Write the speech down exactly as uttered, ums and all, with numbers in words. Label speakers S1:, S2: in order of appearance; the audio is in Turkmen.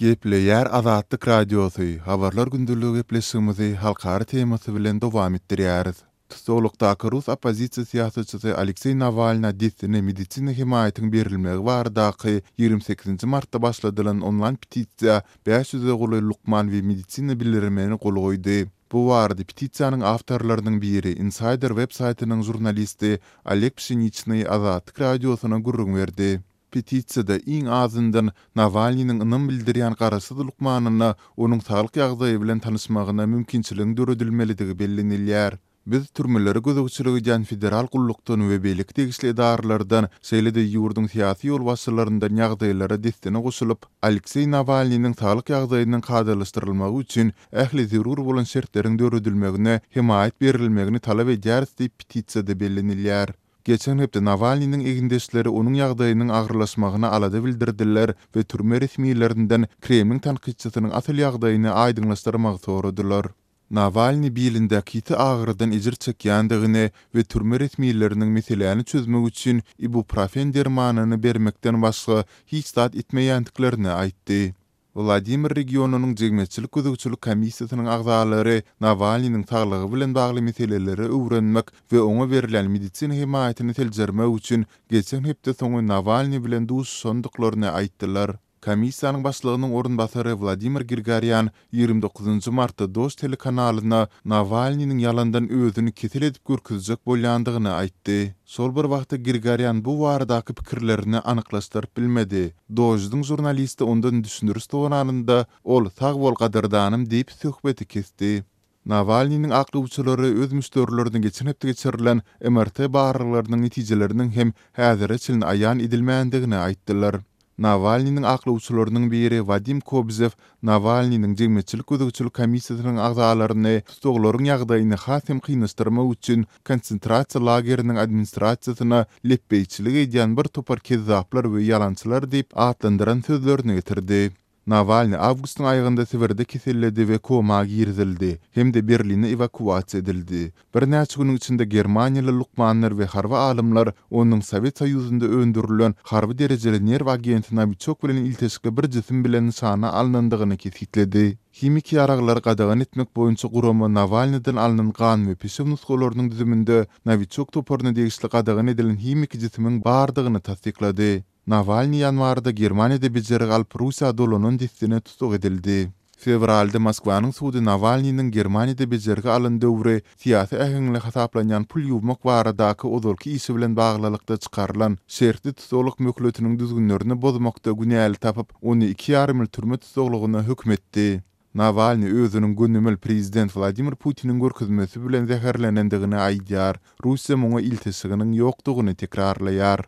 S1: Gepleýär Azatlyk Radiosy, Habarlar gündeligi gepleşigimizi halkara temasy bilen dowam etdirýäris. Tussaglykdaky rus oppozisiýa syýasatçysy Alekseý Nawalna dessine medisina hemaýatyň berilmegi baradaky ýigrimi sekizinji martda başladylan onlaýn petisiýa bäş ýüze golaý lukman we medisina bilermeni gol goýdy. Bu barada petisiýanyň awtorlarynyň biri Insider web saýtynyň žurnalisti Oleg Pşeniçnyý Azatlyk Radiosyna gürrüň berdi. Petisiýada iň azyndan Nawalnynyň ynam bildirýän garaşsyz lukmanyna onuň saglyk ýagdaýy bilen tanyşmagyna mümkinçiligiň döredilmelidigi bellenilýär. Biz türmelere gözegçilik edýän federal gullukdan we beýleki degişli edaralardan, şeýle-de ýurduň syýasy ýolbaşçylaryndan ýagdaýlara dessine goşulyp, Alekseý Nawalnynyň saglyk ýagdaýynyň kadalaşdyrylmagy üçin ähli zerur bolan şertleriň döredilmegine hemaýat berilmegini talap edýäris diýip petisiýada bellenilýär. Geçen hepde Nawalnynyň egindeşleri onuň ýagdaýynyň agyrlaşmagyna alada bildirdiler we türme resmilerinden Kremliň tankytçysynyň asyl ýagdaýyny aýdyňlaşdyrmagy soradylar. Nawalny bilindäki ýiti agyrydan ejir çekýändigini we türme resmileriniň meseläni çözmek üçin ibuprofen dermanyny bermekden başga hiç zat etmeýändiklerini aýtdy. Wladimir regionynyň jemgyýetçilik gözegçilik komissiýasynyň agzalary Nawalnynyň saglygy bilen bagly meseleleri öwrenmek we oňa berilýän medisina hemaýatyny seljermek üçin geçen hepde soňy Nawalny bilen duşuşandyklaryny aýtdylar. Komissiýanyň başlygynyň orunbasary Wladimir Grigorýan ýigrimi dokuzynjy martda Dožd telekanalyna Nawalnynyň ýalandan özüni kesel edip görkezjek bolýandygyny aýtdy. Şol bir wagtda Grigorýan bu baradaky pikirlerini anyklaşdyryp bilmedi. Doždyň žurnalisti ondan düşündiriş soranynda ol sag bol gadyrdanym diýip söhbeti kesdi. Nawalnynyň aklawçylary öz müşderilerini geçen hepde geçirilen M R T barlaglarynyň netijeleriniň hem häzire çenli aýan edilmändigini aýtdylar. Nawalnynyň aklawçylarynyň biri Wadim Kobzew Nawalnynyň jemgyýetçilik gözegçilik komissiýasynyň agzalaryny tussaglaryň ýagdaýyny has hem kynlaşdyrmak üçin konsentrasiýa lageriniň administrasiýasyna lepbeýçilik edýän bir topar kezzaplar we ýalançylar diýip atlandyran sözlerini getirdi. Nawalny awgustyň aýagynda Sibirde keselledi we koma girizildi hem-de Berline ewakuasiýa edildi. Birnäçe günüň içinde Germaniýaly lukmanlar we harby alymlar onuň Sowet Soýuzynda öndürilen harby derejeli nerw agenti Novichok bilen ilteşikli bir jisim bilen nyşana alynandygyny kesitledi. Himiki ýaraglary gadagan etmek boýunça gurama Nawalnydan alnan gan we peşew nusgalarynyň düzüminde Novichok toparyna degişli gadagan edilen himiki jisimiň bardygyny tassyklady. Nawalny ýanwarda Germaniýada bejergi alyp Russiýa dolanan dessine tutuk edildi. Fewralda Moskwanyň sudy Nawalnynyň Germaniýada bejergi alan döwri syýasy äheňli hasaplanýan pul ýuwmak baradaky ozalky işi bilen baglylykda çykarylan şertli tutuklyk möhletiniň düzgünlerini bozmakda günäli tapyp, ony iki ýarym ýyl türme tutuklygyna höküm etdi. Nawalny özüniň gönümel prezident Wladimir Putiniň görkezmesi bilen zäherlenendigini aýdýar. Russiýa muňa ilteşiginiň ýokdugyny tekrarlaýar.